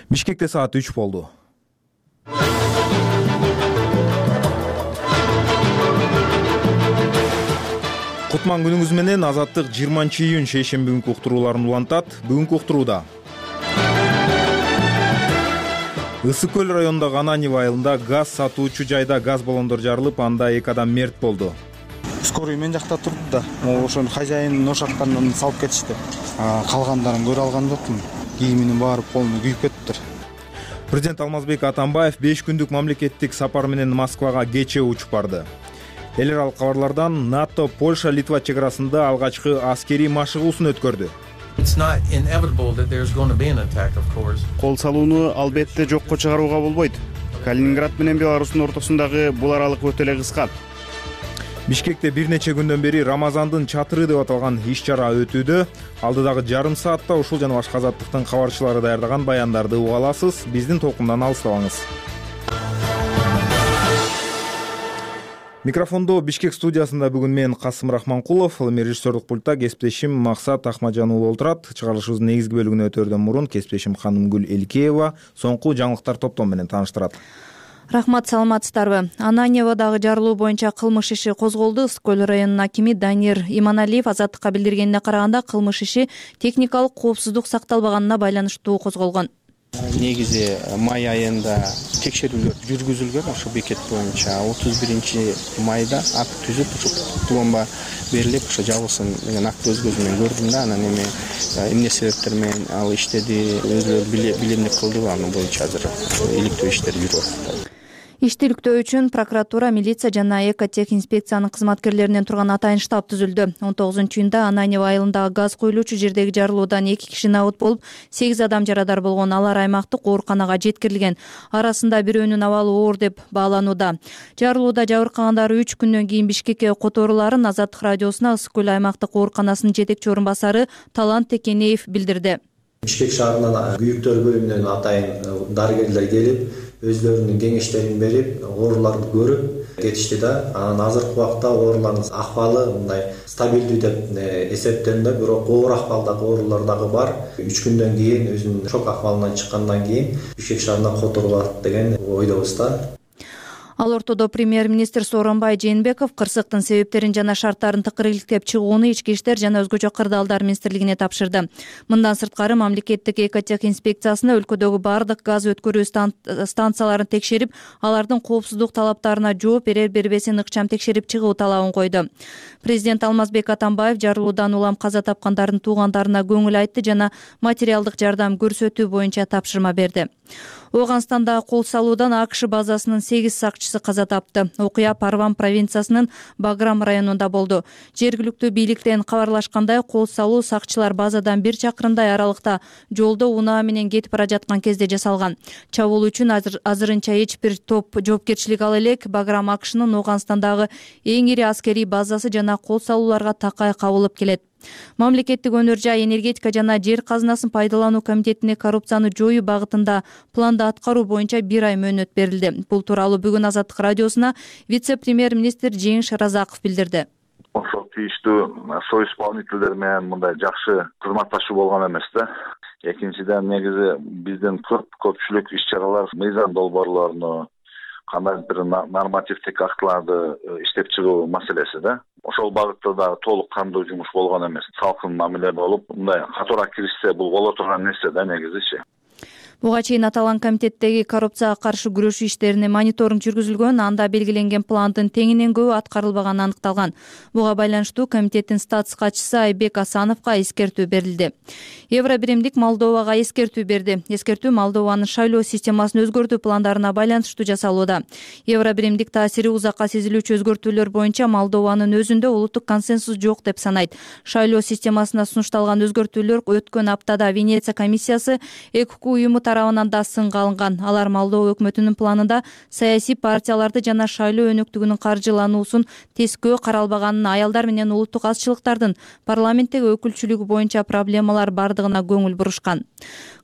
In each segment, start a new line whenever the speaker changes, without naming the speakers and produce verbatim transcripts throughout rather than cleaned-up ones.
Бишкекте саат үч болду. Кутман күнүңүз менен. Азаттык жыйырманчы июнь шейшемби күнкү уктурууларын улантат. Бүгүнкү уктурууда Ысык көл районундагы Ананьево айылында газ сатуучу жайда газ баллондор жарылып, анда эки адам мерт болду.
Скорый мен жакта турду да, ошону хозяин ошаккандан салып кетишти. Калгандарын көрө алган жокмун. Кийиминин баары полный күйүп кетиптир.
Президент Алмазбек Атамбаев беш күндүк мамлекеттик сапар менен Москвага кечээ учуп барды. Эл аралык кабарлардан НАТО Польша Литва чек арасында алгачкы аскерий машыгуусун өткөрдү.
Кол салууну албетте жокко чыгарууга болбойт. Калининград менен Беларустун ортосундагы бул аралык өтө эле кыска.
Бишкекте бир нече күндөн бери Рамазандын чатыры деп аталган иш-чара өтүүдө. Алдыдагы жарым саатта ушул жана башка азаттыктын кабарчылары даярдаган баяндарды уга аласыз. Биздин толкундан алыстабаңыз. Микрофондо Бишкек студиясында бүгүн мен Касым Рахманкулов, эми режиссердик пультта кесиптешим Максат Ахмаджан уулу отурат. Чыгарылышыбыздын негизги бөлүгүнө өтөрдөн мурун кесиптешим Ханымгүл Элкеева соңку жаңылыктар топтому менен тааныштырат.
Рахмат, саламатсыздарбы? Ананьеводагы жарылуу боюнча кылмыш иши козголду. Ысык көл районунун акими Данир Иманалиев Азаттыкка билдиргенине караганда, кылмыш иши техникалык коопсуздук сакталбаганына байланыштуу козголгон.
Негизи май айында текшерүүлөр жүргүзүлгөн ошо бекет боюнча. отуз биринчи майда акт түзүп, ошо пломба берилип, ошо жабылсын деген акты өз көзүм менен көрдүм да. Анан эми эмне себептер менен ал иштеди, өзүлөрү билемдик кылды, анын боюнча азыр иликтөө иштери жүрүп атат.
Ишти иликтөө үчүн прокуратура, милиция жана экотех инспекциянын кызматкерлеринен турган атайын штаб түзүлдү. он тогузунчу июнда Ананьево айылындагы газ куюлуучу жердеги жарылуудан эки киши набыт болуп, сегиз адам жарадар болгон. Алар аймактык ооруканага жеткирилген. Арасында бирөөнүн абалы оор деп бааланууда. Жарылууда жабыркагандар үч күндөн кийин Бишкекке которууларын Азаттык радиосуна Ысык көл аймактык ооруканасынын жетекчи орун басары Талант Текенеев билдирди.
Бишкек шаарынан күйүктөр бөлүмүнөн атайын дарыгерлер келип, өздөрүнүн кеңештерин берип, ооруларды көрүп кетишти да. Анан азыркы убакта оорулардын акыбалы мындай стабилдүү деп эсептелинди, бирок оор акыбалдагы оорулар дагы бар. үч күндөн кийин өзүнүн шок акыбалынан чыккандан кийин Бишкек шаарына которулат деген ойдобуз да.
Ал ортодо премьер-министр Сооронбай Жээнбеков кырсыктын себептерин жана шарттарын тыкырыйлыктеп чыгууну Ички иштер жана өзгөчө кырдаалдар министрлигине тапшырды. Мындан сырткары мамлекеттик экотех инспекциясына өлкөдөгү бардык газ өткөрүү станцияларын текшерип, алардын коопсуздук талаптарына жооп берер бербесин ыкчам текшерип чыгуу талабын койду. Президент Алмазбек Атамбаев жарылуудан улам каза тапкандардын туугандарына көңүл айтты жана материалдык жардам көрсөтүү боюнча тапшырма берди. Ооганстанда кол салуудан АКШ базасынын сегиз сакчысы каза тапты. Окуя Парван провинциясынын Баграм районунда болду. Жергиликтүү бийликтен кабарлашкандай, кол салуу сакчылар базадан бир чакырымдай аралыкта жолдо унаа менен кетип бара жаткан кезде жасалган. Чабуул үчүн азыр, азырынча эч бир топ жоопкерчилик ала элек. Баграм АКШнын Ооганстандагы эң ири аскерий базасы жана кол салууларга такай кабылып келет. Мамлекеттик өнөр жай, энергетика жана жер казынасын пайдалануу комитетине коррупцияны жоюу багытында планды аткаруу боюнча бир ай мөөнөт берилди. Бул тууралуу бүгүн Азаттык радиосуна вице-премьер-министр Жеңиш Разаков билдирди.
Ошол тийиштүү соисполнительдер менен мындай жакшы кызматташуу болгон эмес да. Экинчиден, негизи биздин көп көпчүлүк иш-чаралар мыйзам долбоорлорун, кандай бир нормативдик актыларды иштеп чыгуу маселеси да. Ошол багытта да толук кандуу жумуш болгон эмес. Салкын мамиле болуп, мындай катуура киришсе бул боло турган нерсе да негизичи.
Буга чейин аталган комитеттеги коррупцияга каршы күрөшүү иштерине мониторинг жүргүзүлгөн, анда белгиленген пландын теңинен көбү аткарылбаганы аныкталган. Буга байланыштуу комитеттин статус катчысы Айбек Асановго эскертүү берилди. Евробиримдик Молдовага эскертүү берди. Эскертүү Молдованын шайлоо системасын өзгөртүү пландарына байланыштуу жасалууда. Евробиримдик таасири узакка сезилүүчү өзгөртүүлөр боюнча Молдованын өзүндө улуттук консенсус жок деп санайт. Шайлоо системасына сунушталган өзгөртүүлөр өткөн аптада Венеция комиссиясы ЭКК уюму тарабынан да сынга алынган. Алар Молдова өкмөтүнүн планында саясий партияларды жана шайлоо өнөктүгүнүн каржылануусун тескөө каралбаганын, аялдар менен улуттук азчылыктардын парламенттеги өкүлчүлүгү боюнча проблемалар бардыгына көңүл бурушкан.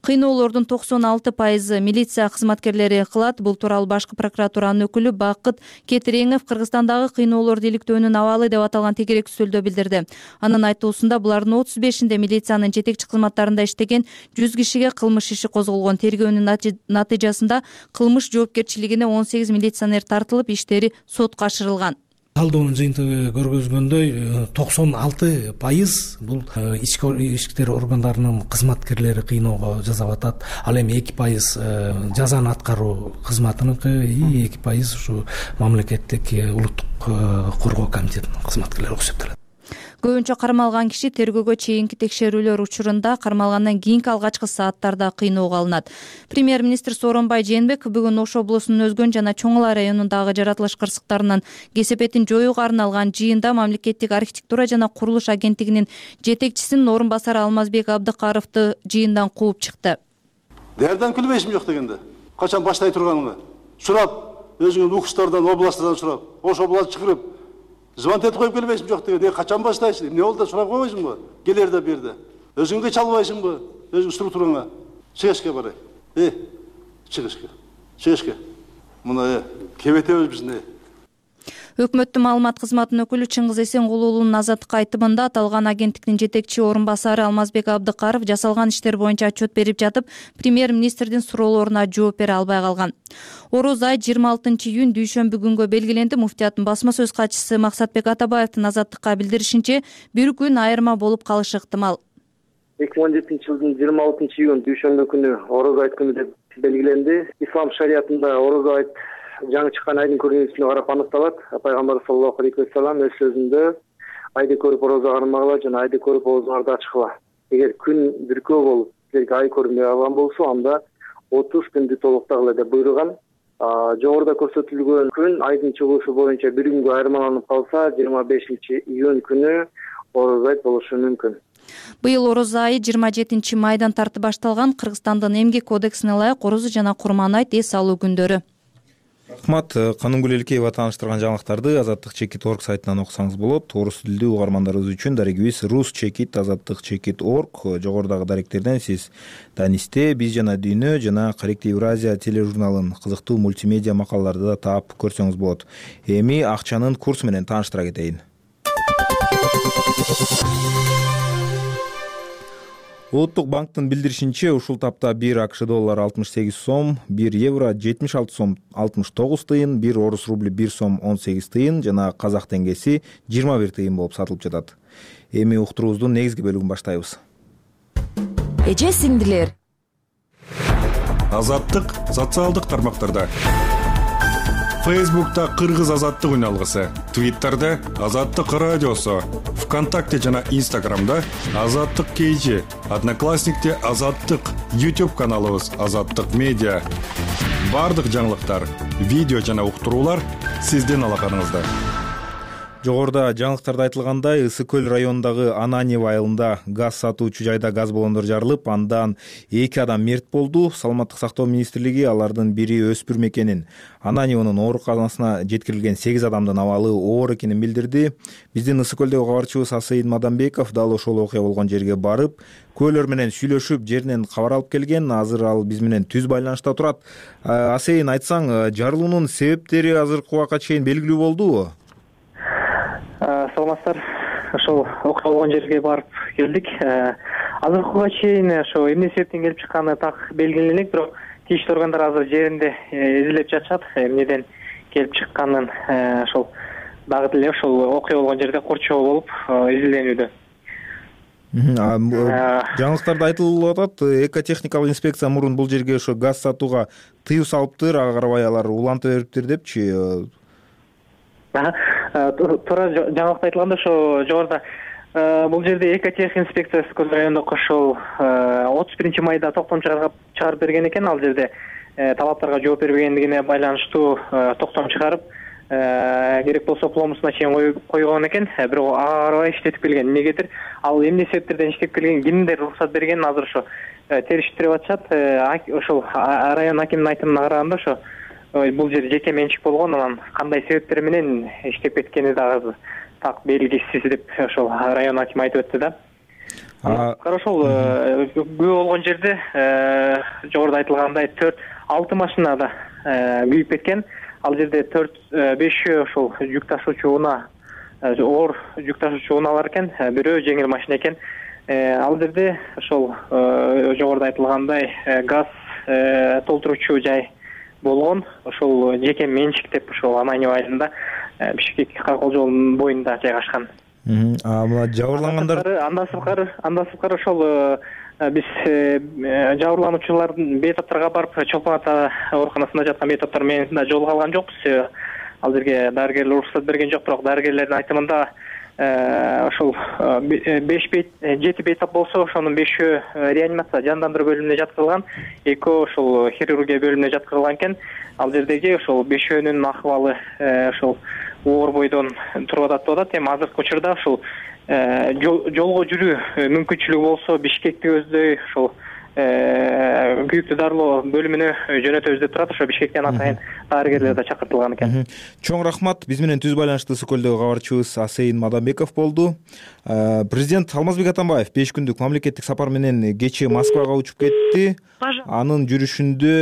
Кыйноолордун токсон алты пайызы милиция кызматкерлери кылат. Бул тууралуу башкы прокуратуранын өкүлү Бакыт Кетиреңов Кыргызстандагы кыйноолорду иликтөөнүн абалы деп аталган тегерек сөздө билдирди. Анын айтуусунда булардын отуз бешинде милициянын жетекчи кызматтарында иштеген жүз кишиге кылмыш иши козголгон жүргүзүлгөн тергөөнүн натыйжасында кылмыш жоопкерчилигине он сегиз милиционер тартылып, иштери сотко ашырылган.
Талдоонун жыйынтыгы көргөзгөндөй токсон алты пайыз бул ички иштер органдарынын кызматкерлери кыйноого жасап атат. Ал эми эки пайыз жазаны аткаруу кызматыныкы, эки пайыз ушу мамлекеттик улуттук коргоо комитетинин кызматкерлери болуп эсептелет.
Көбүнчө кармалган киши тергөөгө чейинки текшерүүлөр учурунда кармалгандан кийинки алгачкы сааттарда кыйноого алынат. Премьер-министр Сооронбай Жээнбеков бүгүн Ош облусунун Өзгөн жана Чоң Ала районундагы жаратылыш кырсыктарынын кесепетин жоюуга арналган жыйында мамлекеттик архитектура жана курулуш агенттигинин жетекчисинин орун басары Алмазбек Абдыкаровду жыйындан кууп чыкты.
Даярдан күлбөйсүң жок дегенде. Качан баштай турганыңды сурап, өзүңүн укуштардан, областтардан сурап, Ош област чыгырып звонок этип коюп келбейсиңби жок дегенде, качан баштайсың? Эмне болду да сурап койбойсуңбу? Келерде берди. Өзүңгө чалбайсыңбы? Өзүң структураңа чыгышка барай. Э, чыгышка. Чыгышка. Мына кебетебиз бизне.
Өкмөттүн маалымат кызматынын өкүлү Чыңгыз Эсенгулуулунун азаттыкка айтымында аталган агенттиктин жетекчи орун басары Алмазбек Абдыкаров жасалган иштер боюнча отчет берип жатып, премьер-министрдин суроолоруна жооп бере албай калган. Ороз ай жыйырма алтынчы июнь дүйшөмбү күнгө белгиленди. Муфтияттын басма сөз катчысы Максатбек Атабаевдин азаттыкка билдиришинче, бир күн айырма болуп калышы ыктымал.
эки миң он жетинчи жылдын жыйырма алтынчы июнь дүйшөмбү күнү Ороз айт күнү деп белгиленди. Ислам шариятында Ороз айт жаңы чыккан айдын көрүнүшүнө карап аныкталат. Пайгамбар саллаллаху алейхи ва саллям өз сөзүндө айды көрүп орозо кармагыла жана айды көрүп оозуңарды ачкыла. Эгер күн бүркөө болуп, силерге ай көрүнбөй калган болсо, анда отуз күндү толуктагыла деп буйруган. Жогоруда көрсөтүлгөн күн айдын чыгуусу боюнча бир күнгө айырмаланып калса, жыйырма бешинчи июнь күнү Ороз айт болушу мүмкүн.
Быйыл Ороз айы жыйырма жетинчи майдан тартып башталган. Кыргызстандын эмгек кодексине ылайык Орозо жана Курман айт эс алуу күндөрү.
Рахмат. Канымгүл Элкеева тааныштырган жаңылыктарды азаттык чекит орг сайтынан окусаңыз болот. Орус тилдүү угармандарыбыз үчүн дарегибиз рус чекит азаттык чекит орг. Жогорудагы даректерден сиз Данисте, Биз жана Дүйнө жана Каректи Евразия тележурналын кызыктуу мультимедиа макалаларды да таап көрсөңүз болот. Эми акчанын курсу менен тааныштыра кетейин. Улуттук банктын билдиришинче, ушул тапта бир АКШ доллары алтымыш сегиз сом, бир евро жетимиш алты сом алтымыш тогуз тыйын, бир орус рубли бир сом он сегиз тыйын жана казак теңгеси жыйырма бир тыйын болуп сатылып жатат. Эми уктуруубуздун негизги бөлүгүн баштайбыз.
Эже сиңдилер.
Азаттык социалдык тармактарда. Фейсбукта Кыргыз азаттык үналгысы, Твиттерде Азаттык радиосу, ВКонтакте жана Инстаграмда Азаттык кейжи, Одноклассникте Азаттык, YouTube каналыбыз Азаттык медиа. Бардык жаңылыктар, видео жана уктуруулар сиздин алаканыңызда.
Жогоруда жаңылыктарда айтылгандай, Ысык көл районундагы Ананьево айылында газ сатуучу жайда газ баллондор жарылып, андан эки адам мерт болду. Саламаттык сактоо министрлиги алардын бири өспүрүм экенин, Ананьевонун ооруканасына жеткирилген сегиз адамдын абалы оор экенин билдирди. Биздин Ысык көлдөгү кабарчыбыз Асейин Мадамбеков дал ошол окуя болгон жерге барып, көөлөр менен сүйлөшүп, жеринен кабар алып келген. Азыр ал биз менен түз байланышта турат. Асейин, айтсаң, жарылуунун себептери азыркы убакка чейин белгилүү болдубу?
Саламатсыздар. Ошол окуя болгон жерге барып келдик. Азыркыга чейин ошо эмне себептен келип чыкканы так белгилүү элек, бирок тийиштүү органдар азыр жеринде изилдеп жатышат. Эмнеден келип чыкканын ошол дагы деле ошол окуя болгон жерде корчоо болуп изилденүүдө.
Жаңылыктарда айтылып атат, экотехникалык инспекция мурун бул жерге ошо газ сатууга тыюу салыптыр, ага карабай алар улантып бериптир депчи.
Туура жаңылыкта айтылганда, ошо жогоруда бул жерде экотех инспекциясы Көз райондук ошол отуз биринчи майда токтом чыгарып берген экен. Ал жерде талаптарга жооп бербегендигине байланыштуу токтом чыгарып, керек болсо пломбусуна чейин койгон экен. Бирок ага карабай иштетип келген. Эмнегедир ал эмне себептерден иштеп келген, кимдер уруксат бергенин азыр ошо териштирип атышат. Ошол район акимдин айтымына караганда, ошо бул жер жеке менчик болгон, анан кандай себептер менен иштеп кеткени дагы так белгисиз деп ошол район акими айтып өттү да. Кара ошол күбө болгон жерде жогоруда айтылгандай төрт алты машина да күйүп кеткен. Ал жерде төрт бешөө ошол жүк ташуучу унаа, оор жүк ташуучу унаалар экен, бирөө жеңил машина экен. Ал жерде ошол жогоруда айтылгандай газ толтуруучу жай болгон. Ошол жеке менчик деп ошол Аманева айылында Бишкек Каркол жолунун боюнда жайгашкан.
А мына жабырлангандар
андан сырткары андан сырткары ошол биз жабырлануучулардын бейтаптарга барып Чолпон ата ооруканасында жаткан бейтаптар менен да жолуга алган жокпуз. Ал жерге дарыгерлер уруксат берген жок, бирок дарыгерлердин айтымында ошол беш бейт жети бейтап болсо ошонун бешөө реанимация жандандыруу бөлүмүнө жаткырылган, экөө ошол хирургия бөлүмүнө жаткырылган экен. Ал жердеги ошол бешөөнүн акыбалы ошол оор бойдон туруп атат деп атат. Эми азыркы учурда ошол жолго жүрүү мүмкүнчүлүгү болсо Бишкекти көздөй ошол күйүктүү дарылоо бөлүмүнө жөнөтөбүз деп турат. Ошо Бишкектен атайын дарыгерлер да чакыртылган экен.
Чоң рахмат. Биз менен түз байланышты ысык көлдөгү кабарчыбыз Асейин Мадамбеков болду. Президент Алмазбек Атамбаев беш күндүк мамлекеттик сапар менен кечээ Москвага учуп кетти. Анын жүрүшүндө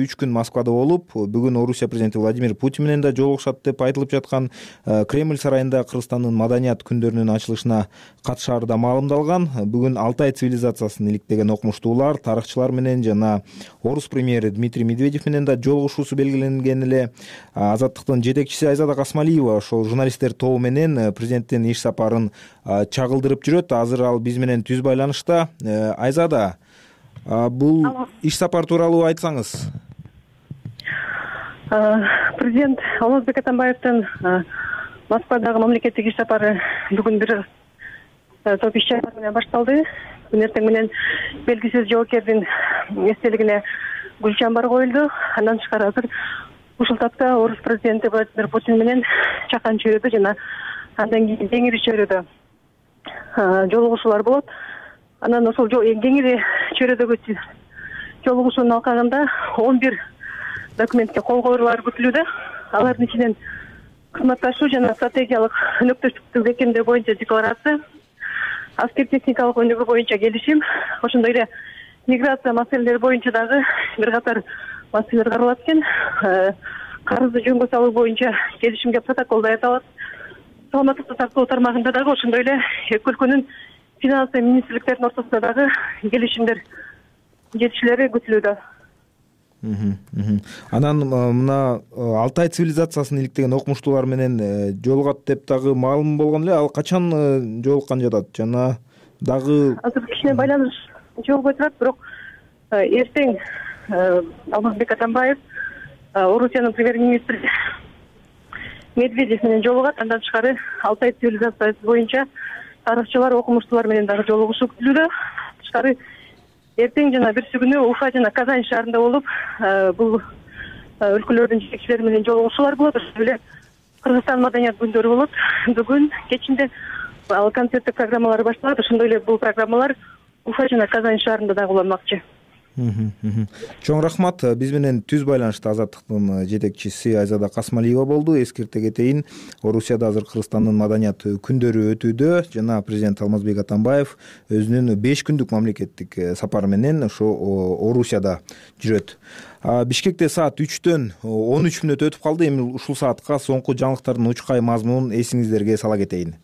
үч күн Москвада болуп, бүгүн Орусия президенти Владимир Путин менен да жолугушат деп айтылып жаткан. Кремль сарайында Кыргызстандын маданият күндөрүнүн ачылышына катышаары да маалымдалган. Бүгүн Алтай цивилизациясын иликтеген окумуштуулар, тарыхчылар менен жана орус премьери Дмитрий Медведев менен да жолугушуусу белгиленген эле. Азаттыктын жетекчиси Айзада Касмалиева ошол журналисттер тобу менен президенттин иш сапарын чагылдырып жүрөт. Азыр ал биз менен түз байланышта. Айзада, бул иш сапар тууралуу айтсаңыз.
Президент Алмазбек Атамбаевдин Москвадагы мамлекеттик иш сапары бүгүн бир топ иш чаралар менен башталды. Бүгүн эртең менен белгисиз жоокердин эстелигине гүл чамбар коюлду. Андан тышкары азыр ушул тапта орус президенти Владимир Путин менен чакан чөйрөдө жана андан кийин кеңири чөйрөдө жолугушуулар болот. Анан ошол кеңири чөйрөдөгү жолугушуунун алкагында он бир документке кол коюлуулар күтүлүүдө. Алардын ичинен кызматташуу жана стратегиялык өнөктөштүктү бекемдөө боюнча декларация, аскер техникалык өнүгүү боюнча келишим, ошондой эле миграция маселелери боюнча дагы бир катар маселелер каралат экен. Карызды жөнгө салуу боюнча келишимге протокол даярдалат. Саламаттыкты сактоо тармагында дагы ошондой эле эки өлкөнүн финансы министрликтеринин ортосунда дагы келишимдер жетишүүлөрү күтүлүүдө.
Анан мына Алтай цивилизациясын иликтеген окумуштуулар менен жолугат деп дагы маалым болгон эле. Ал качан жолуккан жатат жана дагы
азыр кичине байланыш жолбой турат, бирок эртең Алмазбек Атамбаев Орусиянын премьер-министри Медведев менен жолугат. Андан тышкары Алтай цивилизациясы боюнча тарыхчылар, окумуштуулар менен дагы жолугушуу күтүлүүдө. Тышкары эртең жана берси күнү Уфа жана Казань шаарында болуп, бул өлкөлөрдүн жетекчилери менен жолугушуулар болот. Ошол эле Кыргызстан маданият күндөрү болот. Бүгүн кечинде ал концерттик программалар башталат. Ошондой эле бул программалар Уфа жана Казань шаарында дагы уланмакчы.
Чоң рахмат. Биз менен түз байланышта Азаттыктын жетекчиси Айзада Касмалиева болду. Эскерте кетейин, Орусияда азыр Кыргызстандын маданият күндөрү өтүүдө жана президент Алмазбек Атамбаев өзүнүн беш күндүк мамлекеттик сапары менен ошо Орусияда жүрөт. Бишкекте саат үчтөн он үч мүнөт өтүп калды. Эми ушул саатка соңку жаңылыктардын учкай мазмунун эсиңиздерге сала кетейин.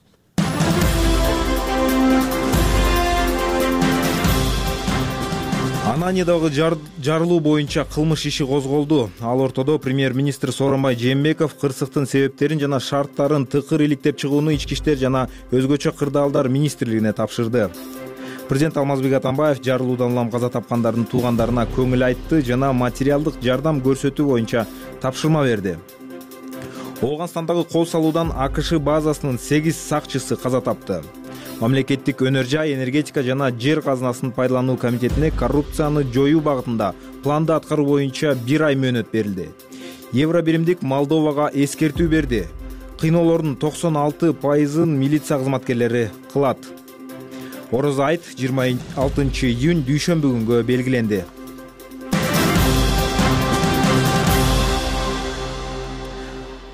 Ананьядагы жарылуу боюнча кылмыш иши козголду. Ал ортодо премьер-министр Сооронбай Жээнбеков кырсыктын себептерин жана шарттарын тыкыр иликтеп чыгууну ички иштер жана өзгөчө кырдаалдар министрлигине тапшырды. Президент Алмазбек Атамбаев жарылуудан улам каза тапкандардын туугандарына көңүл айтты жана материалдык жардам көрсөтүү боюнча тапшырма берди. Ооганстандагы кол салуудан АКШ базасынын сегиз сакчысы каза тапты. Мамлекеттик өнөр жай, энергетика жана жер казынасын пайдалануу комитетине коррупцияны жоюу багытында планды аткаруу боюнча бир ай мөөнөт берилди. Евробиримдик Молдовага эскертүү берди. Кыйноолордун токсон алты пайызын милиция кызматкерлери кылат. Орозо айт жыйырма алтынчы июнь дүйшөмбү күнгө белгиленди.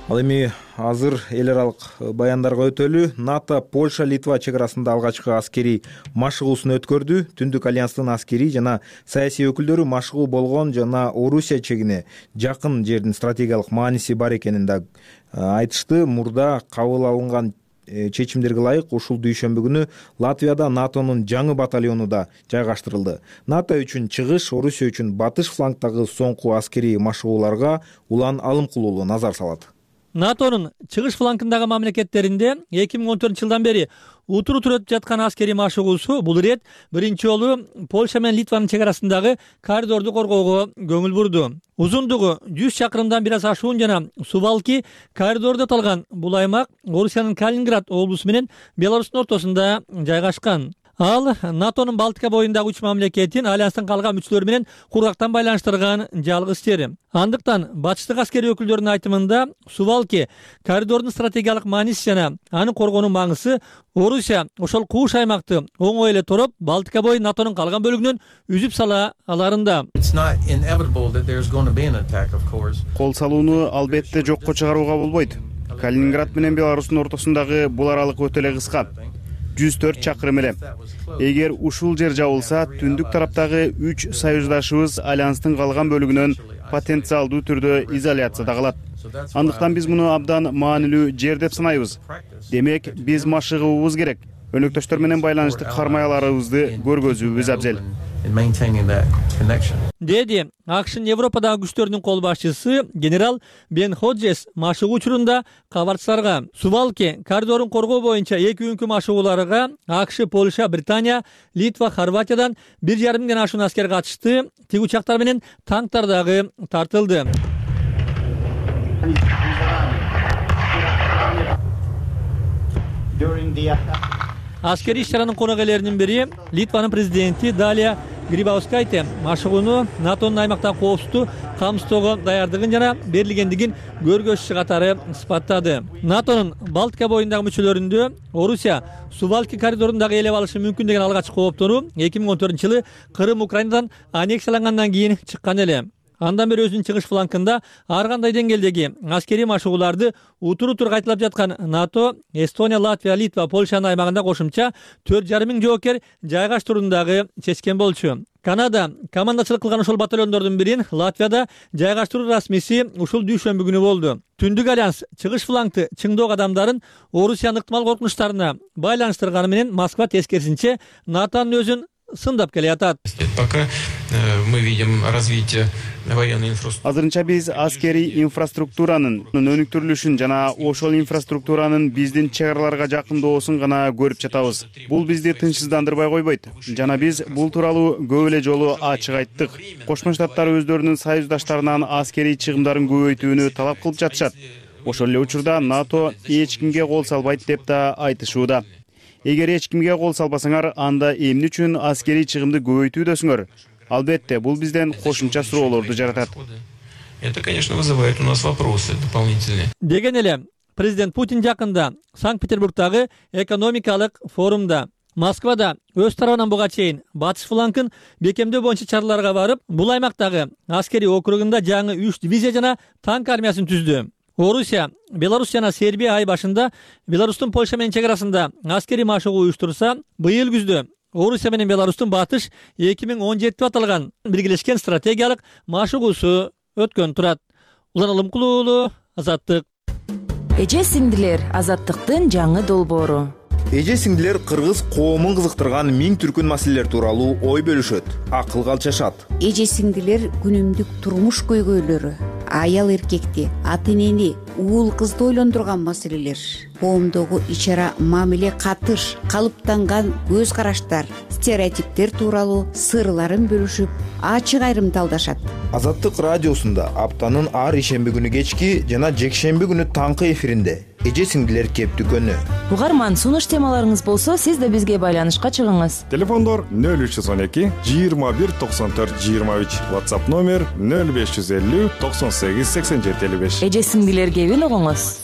Ал эми азыр эл аралык баяндарга өтөлү. НАТО Польша Литва чек арасында алгачкы аскерий машыгуусун өткөрдү. Түндүк альянстын аскерий жана саясий өкүлдөрү машыгуу болгон жана Орусия чегине жакын жердин стратегиялык мааниси бар экенин да айтышты. Мурда кабыл алынган чечимдерге ылайык ушул дүйшөмбү күнү Латвияда натонун жаңы батальону да жайгаштырылды. НАТО үчүн чыгыш, Орусия үчүн батыш флангдагы соңку аскерий машыгууларга улан Алымкулуулу назар салат.
натонун чыгыш флангындагы мамлекеттеринде эки миң он төртүнчү жылдан бери утур утур өтүп жаткан аскерий машыгуусу бул ирет биринчи жолу Польша менен Литванын чек арасындагы коридорду коргоого көңүл бурду. Узундугу жүз чакырымдан бир аз ашуун жана Сувалки коридорду аталган бул аймак Орусиянын Калининград облусу менен Беларустун ортосунда жайгашкан. Ал натонун Балтика боюндагы үч мамлекетин альянстын калган мүчөлөрү менен кургактан байланыштырган жалгыз жери. Андыктан батыштык аскерий өкүлдөрүнүн айтымында Сувалки коридордун стратегиялык мааниси жана аны коргоонун маңызы Орусия ошол кууш аймакты оңой эле тороп Балтика бою натонун калган бөлүгүнөн үзүп сала аларында.
Кол салууну албетте жокко чыгарууга болбойт. Калининград менен Беларустун ортосундагы бул аралык өтө эле кыска. жүз төрт чакырым эле. Эгер ушул жер жабылса, түндүк тараптагы үч союздашыбыз альянстын калган бөлүгүнөн потенциалдуу түрдө изоляцияда калат. Андыктан биз муну абдан маанилүү жер деп санайбыз. Демек, биз машыгуубуз керек. Өнөктөштөр менен байланыштык кармаяларыбызды көргөзүүбүз абзел.
Деди АКШнын Европадагы күчтөрүнүн кол башчысы генерал Бен Ходжес машыгуу учурунда кабарчыларга Сувалки коридорун коргоо боюнча эки күнкү машыгууларга АКШ, Польша, Британия, Литва, Хорватиядан бир жарым миңден ашуун аскер катышты. Тиг учактар менен танктар дагы тартылды. Аскерий иш-чаранын конок-ээлеринин бири Литванын президенти Далия Грибаускайте машыгууну натонун аймактагы коопсуздукту камсыздоого даярдыгын жана берилгендигин көргөзчү катары сыпаттады. натонун Балтика боюндагы мүчөлөрүндө Орусия Сувалки коридорун дагы ээлеп алышы мүмкүн деген алгачкы кооптонуу эки миң он төртүнчү жылы Крым Украинадан аннексиялангандан кийин чыккан эле. Андан бери өзүнүн чыгыш флангында ар кандай деңгээлдеги аскерий машыгууларды утур утур кайталап жаткан НАТО, Эстония, Латвия, Литва, Польшанын аймагында кошумча төрт жарым миң жоокер жайгаштырууну дагы чечкен болчу. Канада командачылык кылган ошол батальондордун бирин Латвияда жайгаштыруу расмиси ушул дүйшөмбү күнү болду. Түндүк альянс чыгыш флангды чыңдоо кадамдарын Орусиянын ыктымал коркунучтарына байланыштырганы менен Москва тескерисинче НАТОнун өзүн сындап келатат.
Пока мы видим развитие военной инфраструктуры.
Азырынча биз аскерий инфраструктуранын өнүктүрүлүшүн жана ошол инфраструктуранын биздин чек араларга жакындоосун гана көрүп жатабыз. Бул бизди тынчсыздандырбай койбойт. Жана биз бул тууралуу көп эле жолу ачык айттык. Кошмо Штаттар өздөрүнүн союздаштарынан аскерий чыгымдарын көбөйтүүнү талап кылып жатышат. Ошол эле учурда НАТО эч кимге кол салбайт деп да айтышууда. Эгер эч кимге кол салбасаңар, анда эмне үчүн аскерий чыгымды көбөйтүүдөсүңөр? Албетте, бул бизден кошумча суроолорду жаратат.
Это, конечно, вызывает у нас вопросы дополнительные.
Деген эле президент Путин жакында Санкт-Петербургдагы экономикалык форумда Москвада өз тарабынан буга чейин батыш флангын бекемдөө боюнча чараларга барып, бул аймактагы аскерий округунда жаңы үч дивизия жана танк армиясын түздү. Орусия, Беларусь жана Сербия ай башында Беларустун Польша менен чек арасында аскерий машыгуу уюштурса, быйыл күздө Орусия менен Беларустун батыш эки миң он жети деп аталган биргелешкен стратегиялык машыгуусу өткөн турат. Улан Алымкулуулу, Азаттык.
Эже сиңдилер, Азаттыктын жаңы долбоору.
Эже сиңдилер кыргыз коомун кызыктырган миң түркүн маселелер тууралуу ой бөлүшөт, акыл калчашат.
Эже сиңдилер күнүмдүк турмуш көйгөйлөрү, аял эркекти, ата энени, уул кызды ойлондурган маселелер, коомдогу ич-ара мамиле, катыш, калыптанган көз караштар, стереотиптер тууралуу сырларын бөлүшүп, ачык айрымдалдашат.
Азаттык радиосунда аптанын ар ишемби күнү кечки жана жекшемби күнү таңкы эфиринде эже сиңдилер кептүкөнү.
Угарман, сунуш темаларыңыз болсо, сиз да бизге байланышка чыгыңыз.
Телефондор нөл үч жүз он эки жыйырма бир токсон төрт жыйырма үч, WhatsApp номер нөл беш жүз элүү токсон сегиз сексен жети элүү беш.
Эже сиңдилер кебин угуңуз.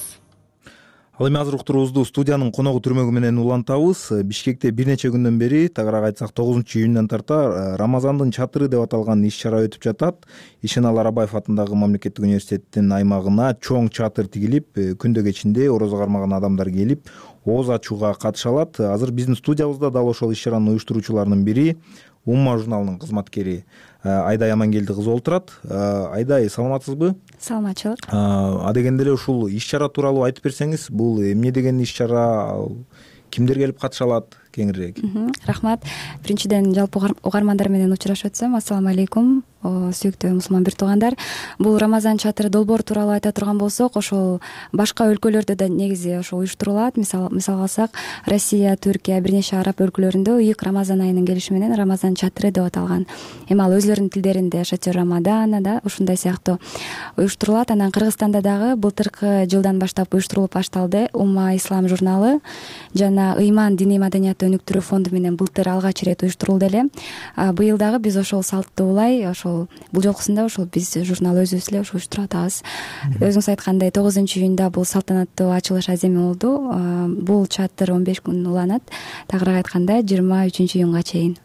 Ал эми азыр уктуруубузду студиянын коногу түрмөгү менен улантабыз. Бишкекте бир нече күндөн бери, тагыраак айтсак тогузунчу июндан тарта Рамазандын чатыры деп аталган иш-чара өтүп жатат. Ишенал Арабаев атындагы мамлекеттик университеттин аймагына чоң чатыр тигилип, күндө кечинде орозо кармаган адамдар келип, ооз ачууга катыша алат. Азыр биздин студиябызда дал ошол иш-чаранын уюштуруучуларынын бири Умма журналынын кызматкери Айдай Амангелди кызы олтурат. Айдай, саламатсызбы?
Саламатчылык.
Адегенде эле ушул иш чара тууралуу айтып берсеңиз, бул эмне деген иш чара, кимдер келип катыша алат, кеңирээк?
Рахмат. Биринчиден жалпы угармандар менен учурашып атсам, ассалам алейкум, сүйүктүү мусулман бир туугандар. Бул Рамазан чатыры долбоор тууралуу айта турган болсок, ошол башка өлкөлөрдө да негизи ошо уюштурулат. Мисал мисалга алсак, Россия, Түркия, бир нече араб өлкөлөрүндө ыйык Рамазан айынын келиши менен Рамазан чатыры деп аталган. Эми ал өзлөрүнүн тилдеринде Шатер Рамадана да ушундай сыяктуу уюштурулат. Анан Кыргызстанда дагы былтыркы жылдан баштап уюштурулуп башталды. Умма Ислам журналы жана Ыйман диний маданияты өнүктүрүү фонду менен былтыр алгач ирет уюштурулду эле. Быйыл дагы биз ошол салтты улай, ошол бул жолкусунда ошол биз журнал өзүбүз эле ошо уюштуруп атабыз. Өзүңүз айткандай тогузунчу июнда бул салтанаттуу ачылыш аземи болду. Бул чатыр он беш күн уланат. Тагыраак айтканда жыйырма үчүнчү июнга чейин.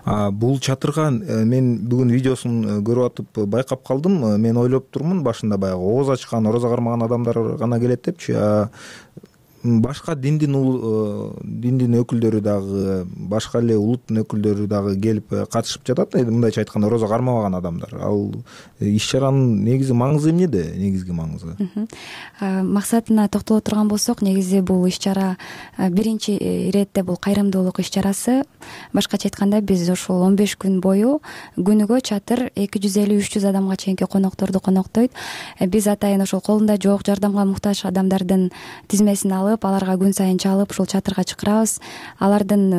Бул чатырга мен бүгүн видеосун көрүп атып байкап калдым. Мен ойлоп турмун башында баягы ооз ачкан, орозо кармаган адамдар гана келет депчи. Башка диндин диндин өкүлдөрү дагы, башка эле улуттун өкүлдөрү дагы келип катышып жатат. Мындайча айтканда, орозо кармабаган адамдар. Ал иш чаранын негизи маңызы эмнеде? Негизги маңызы?
Максатына токтоло турган болсок, негизи бул иш чара биринчи иретте бул кайрымдуулук иш чарасы. Башкача айтканда, биз ошол он беш күн бою күнүгө чатыр эки жүз элүү үч жүз адамга чейинки конокторду коноктойт. Биз атайын ошол колунда жок, жардамга муктаж адамдардын тизмесин алып, аларга күн сайын чалып ушул чатырга чакырабыз. Алардын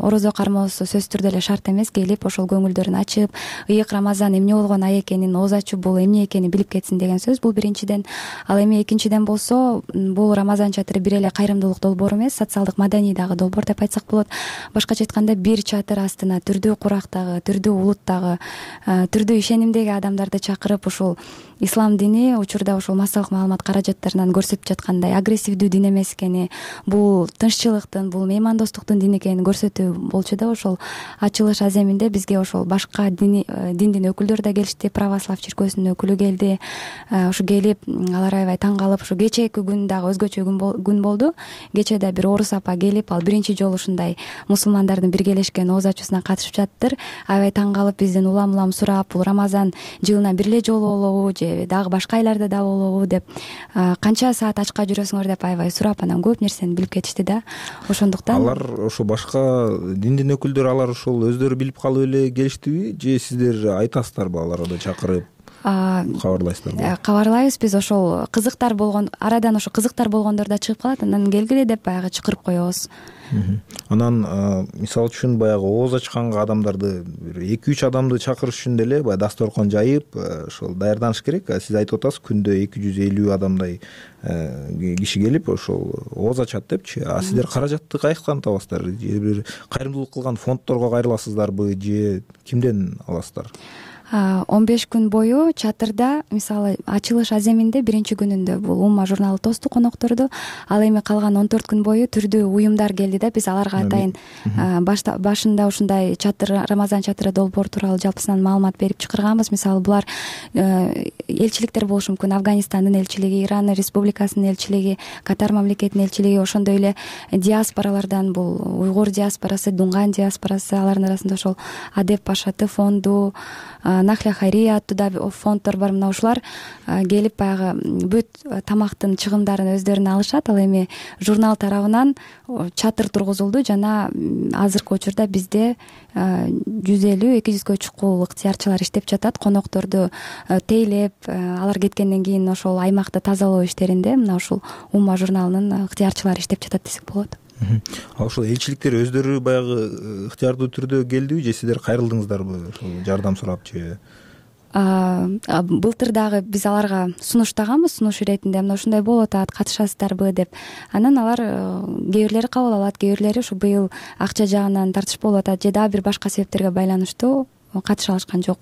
орозо кармоосу сөзсүз түрдө эле шарт эмес, келип ошол көңүлдөрүн ачып, ыйык Рамазан эмне болгон ай экенин, ооз ачуу бул эмне экенин билип кетсин деген сөз. Бул биринчиден. Ал эми экинчиден болсо, бул Рамазан чатыры бир эле кайрымдуулук долбоору эмес, социалдык маданий дагы долбоор деп айтсак болот. Башкача айтканда, бир чатыр астына түрдүү курактагы, түрдүү улуттагы, түрдүү ишенимдеги адамдарды чакырып, ушул ислам дини учурда ошол массалык маалымат каражаттарынан көрсөтүп жаткандай агрессивдүү дин эмес экени, бул тынччылыктын, бул меймандостуктун дини экенин көрсөтүү болчу да. Ошол ачылыш аземинде бизге ошол башка дини диндин өкүлдөрү да келишти. Православ чиркөөсүнүн өкүлү келди. Ушу келип, алар аябай таң калып, ушу кечээки күн дагы өзгөчө күн болду. Кечээ да бир орус апа келип, ал биринчи жолу ушундай мусулмандардын биргелешкен ооз ачуусуна катышып жаттыр. Аябай таң калып, бизден улам улам сурап, бул Рамазан жылына бир эле жолу болобу же дагы башка айларда да болобу деп, канча саат ачка жүрөсүңөр деп аябай сурап, анан көп нерсени билип кетишти да. Ошондуктан
алар ошо башка диндин өкүлдөрү алар ошол өздөрү билип калып эле келиштиби же сиздер айтасыздарбы аларга чакырып кабарлайсыздарбы?
Кабарлайбыз биз. Ошол кызыктар болгон, арадан ошо кызыктар болгондор да чыгып калат, анан келгиле деп баягы чакырып коебуз.
Анан мисалы үчүн баягы ооз ачканга адамдарды эки үч адамды чакырыш үчүн деле баягы дасторкон жайып ошол даярданыш керек. Сиз айтып атасыз, күндө эки жүз элүү адамдай киши келип ошол ооз ачат депчи. А сиздер каражатты каяктан табасыздар? Же бир кайрымдуулук кылган фондторго кайрыласыздарбы же кимден аласыздар?
он беш күн бою чатырда, мисалы ачылыш аземинде биринчи күнүндө бул Умма журналы тосту, конокторду. Ал эми калган он төрт күн бою түрдүү уюмдар келди да. Биз аларга атайын башында ушундай чатыр, Рамазан чатыры долбоор тууралуу жалпысынан маалымат берип чакырганбыз. Мисалы булар элчиликтер болушу мүмкүн. Афганистандын элчилиги, Иран республикасынын элчилиги, Катар мамлекетинин элчилиги, ошондой эле диаспоралардан бул уйгур диаспорасы, Дунган диаспорасы, алардын арасында ошол Адеп Пашаты фонду, Нахля Хайрия аттуу да фонддор бар. Мына ушулар келип баягы бүт тамактын чыгымдарын өздөрүнө алышат. Ал эми журнал тарабынан чатыр тургузулду жана азыркы учурда бизде жүз элүү эки жүзгө чукул ыктыярчылар иштеп жатат. Конокторду тейлеп, алар кеткенден кийин ошол аймакты тазалоо иштеринде мына ушул Умма журналынын ыктыярчылары иштеп жатат десек болот.
Ал ошол элчиликтер өздөрү баягы ыктыярдуу түрдө келдиби же сиздер кайрылдыңыздарбы ошол жардам сурап же?
Былтыр дагы биз аларга сунуштаганбыз, сунуш иретинде мына ушундай болуп атат, катышасыздарбы деп. Анан алар кээ бирлери кабыл алат, кээ бирлери ушу быйыл акча жагынан тартыш болуп атат же дагы бир башка себептерге байланыштуу катыша алышкан жок.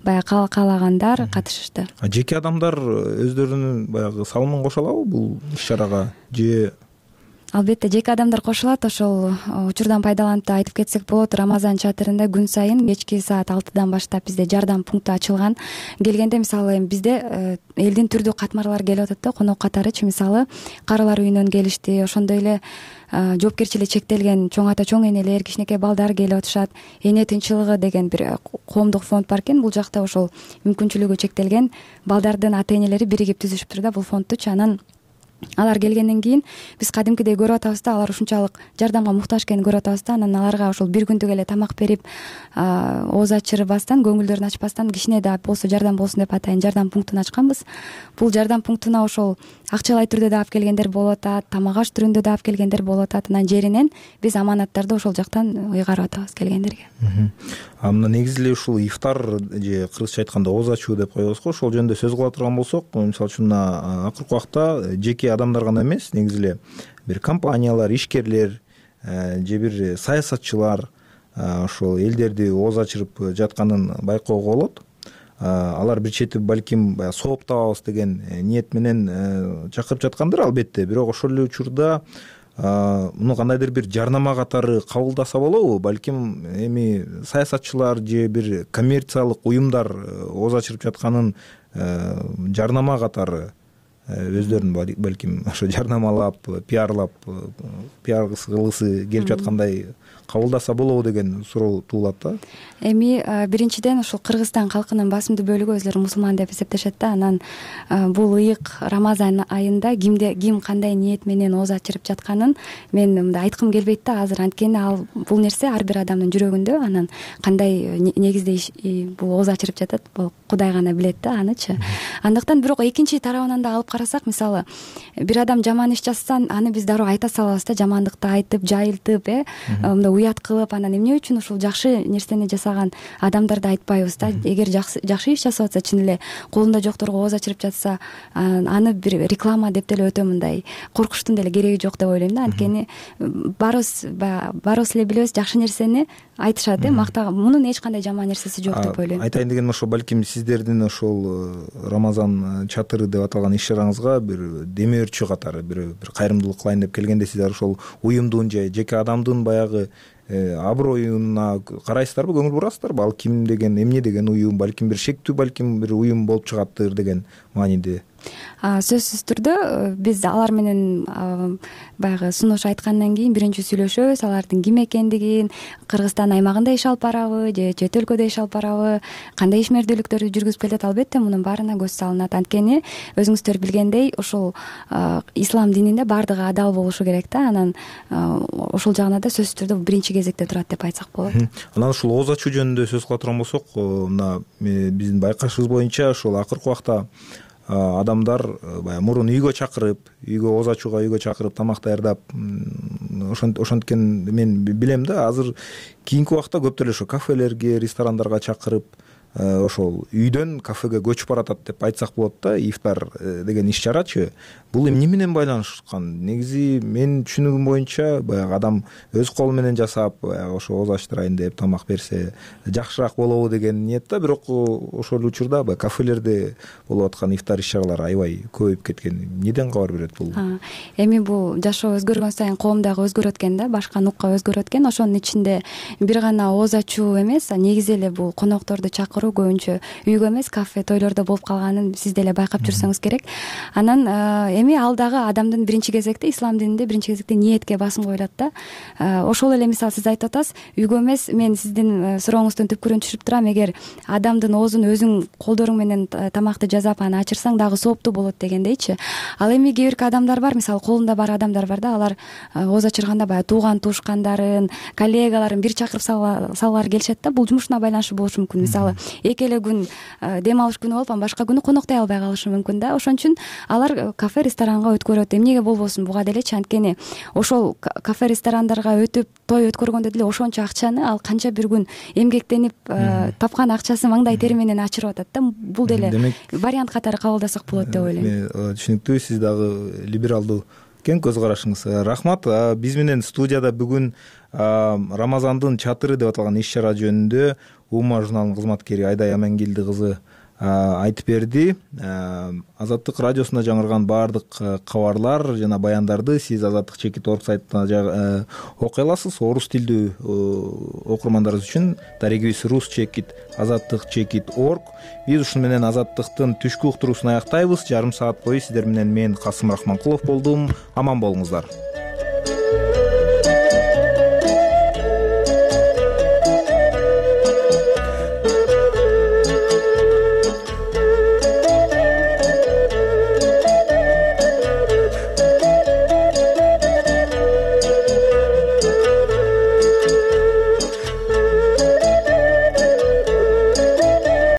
Баягы каалагандар катышышты.
Жеке адамдар өздөрүнүн баягы салымын кошо алабы бул иш чарага же
албетте жеке адамдар кошулат. Ошол учурдан пайдаланып да айтып кетсек болот. Рамазан чатырында күн сайын кечки саат алтыдан баштап бизде жардам пункту ачылган. Келгенде мисалы эми бизде элдин түрдүү катмарлары келип атат да, конок катарычы. Мисалы карылар үйүнөн келишти, ошондой эле жоопкерчилиги чектелген чоң ата чоң энелер, кичинекей балдар келип атышат. Эне тынчылыгы деген бир коомдук фонд бар экен. Бул жакта ошол мүмкүнчүлүгү чектелген балдардын ата энелери биригип түзүшүптүр да бул фондтучу. Анан алар келгенден кийин биз кадимкидей көрүп атабыз да, алар ушунчалык жардамга муктаж экенин көрүп атабыз да. Анан аларга ошол бир күндүк эле тамак берип, ооз ачырбастан, көңүлдөрүн ачпастан, кичине да болсо жардам болсун деп атайын жардам пунктун ачканбыз. Бул жардам пунктуна ошол акчалай түрдө да алып келгендер болуп атат, тамак аш түрүндө да алып келгендер болуп атат. Анан жеринен биз аманаттарды ошол жактан ыйгарып атабыз келгендерге.
А мына негизи эле ушул ифтар же кыргызча айтканда ооз ачуу деп коебуз го. Ошол жөнүндө сөз кыла турган болсок, мисалы үчүн мына акыркы убакта жеке адамдар гана эмес, негизи эле бир компаниялар, ишкерлер же бир саясатчылар ошол элдерди ооз ачырып жатканын байкоого болот. Алар бир чети балким баягы сооп табабыз деген ниет менен чакырып жаткандыр албетте. Бирок ошол эле учурда муну кандайдыр бир жарнама катары кабылдаса болобу? Балким эми саясатчылар же бир коммерциялык уюмдар ооз ачырып жатканын жарнама катары өздөрүн балким ошо жарнамалап, пиарлап, пиар кылгысы келип жаткандай кабылдаса болобу деген суроо туулат да.
Эми биринчиден ушул Кыргызстан калкынын басымдуу бөлүгү өзлөрү мусулман деп эсептешет да. Анан бул ыйык Рамазан айында кимде ким кандай ниет менен ооз ачырып жатканын мен мындай айткым келбейт да азыр. Анткени ал бул нерсе ар бир адамдын жүрөгүндө. Анан кандай негизде бул ооз ачырып жатат, бул Кудай гана билет да анычы. Андыктан бирок экинчи тарабынан да алып карасак, мисалы бир адам жаман иш жассан, аны биз дароо айта салабыз да, жамандыкты айтып, жайылтып, э мындай уят кылып. Анан эмне үчүн ушул жакшы нерсени жасаган адамдарды айтпайбыз да. Эгер жакшы иш жасап атса, чын эле колунда жокторго ооз ачырып жатса, аны бир реклама деп деле өтө мындай коркуштун деле кереги жок деп ойлойм да. Анткени баарыбыз баарыбыз эле билебиз, жакшы нерсени айтышат, э мактаган, мунун эч кандай жаман нерсеси жок деп ойлойм.
Айтайын дегеним ошо балким сиздердин ошол Рамазан чатыры деп аталган иш чараңызга бир демөөрчү катары бир бир кайрымдуулук кылайын деп келгенде сиздер ошол уюмдун же жеке адамдын баягы аброюна карайсыздарбы, көңүл бурасыздарбы? Ал ким деген, эмне деген уюм, балким бир шектүү балким бир уюм болуп чыгаттыр деген мааниде.
Сөзсүз түрдө биз алар менен баягы сунуш айткандан кийин биринчи сүйлөшөбүз, алардын ким экендигин, Кыргызстан аймагында иш алып барабы же чет өлкөдө иш алып барабы, кандай ишмердүүлүктөрдү жүргүзүп келет. Албетте мунун баарына көз салынат. Анткени өзүңүздөр билгендей ушул ислам дининде баардыгы адал болушу керек да. Анан ошол жагына да сөзсүз түрдө биринчи кезекте турат деп айтсак болот.
Анан ушул ооз ачуу жөнүндө сөз кыла турган болсок, мына биздин байкашыбыз боюнча ошол акыркы убакта адамдар баягы мурун үйгө чакырып, үйгө ооз ачууга үйгө чакырып тамак даярдап, ошенткен мен билем да. Азыр кийинки убакта көптөр эле ошо кафелерге, ресторандарга чакырып, ошол үйдөн кафеге көчүп баратат деп айтсак болот да. Ифтар деген иш чарачы бул эмне менен байланышкан? Негизи мен түшүнүгүм боюнча баягы адам өз колу менен жасап, баягы ошо ооз ачтырайын деп тамак берсе жакшыраак болобу деген ниетте. Бирок ошол эле учурда баягы кафелерде болуп аткан ифтар иш чаралары аябай көбөйүп кеткен. Эмнеден кабар берет бул?
Эми бул жашоо өзгөргөн сайын коом дагы өзгөрөт экен да, башка нукка өзгөрөт экен. Ошонун ичинде бир гана ооз ачуу эмес, негизи эле бул конокторду чакыруу көбүнчө үйгө эмес, кафе, тойлордо болуп калганын сиз деле байкап жүрсөңүз керек. Анан эми ал дагы адамдын биринчи кезекте, ислам дининде биринчи кезекте ниетке басым коюлат да. Ошол эле мисалы сиз айтып атасыз, үйгө эмес, мен сиздин сурооңуздун түпкүрүн түшүрүп турам. Эгер адамдын оозун өзүң колдоруң менен тамакты жасап аны ачырсаң дагы сооптуу болот дегендейчи. Ал эми кээ бирки адамдар бар, мисалы колунда бар адамдар бар да, алар ооз ачырганда баягы тууган туушкандарын, коллегаларын бир чакырып салгылары келишет да. Бул жумушуна байланыштуу болушу мүмкүн. Мисалы эки эле күн дем алыш күнү болуп, анан башка күнү коноктой албай калышы мүмкүн да. Ошон үчүн алар кафе, ресторанга өткөрөт. Эмнеге болбосун буга делечи? Анткени ошол кафе, ресторандарга өтүп той өткөргөндө деле ошончо акчаны ал канча бир күн эмгектенип тапкан акчасы маңдай тери менен ачырып атат да. Бул деле вариант катары кабылдасак болот деп ойлойм.
Түшүнүктүү, сиз дагы либералдуу экен көз карашыңыз. Рахмат. Биз менен студияда бүгүн Рамазандын чатыры деп аталган иш чара жөнүндө Ума журналынын кызматкери Айдай Амангелди кызы айтып берди. Азаттык радиосунда жаңырган баардык кабарлар жана баяндарды сиз Азаттык чекит орг сайтына окуй аласыз. Орус тилдүү окурмандарыбыз үчүн дарегибиз рус чекит азаттык чекит орг. Биз ушуну менен Азаттыктын түшкү уктуруусун аяктайбыз. Жарым саат бою сиздер менен мен Касым Рахманкулов болдум. Аман болуңуздар.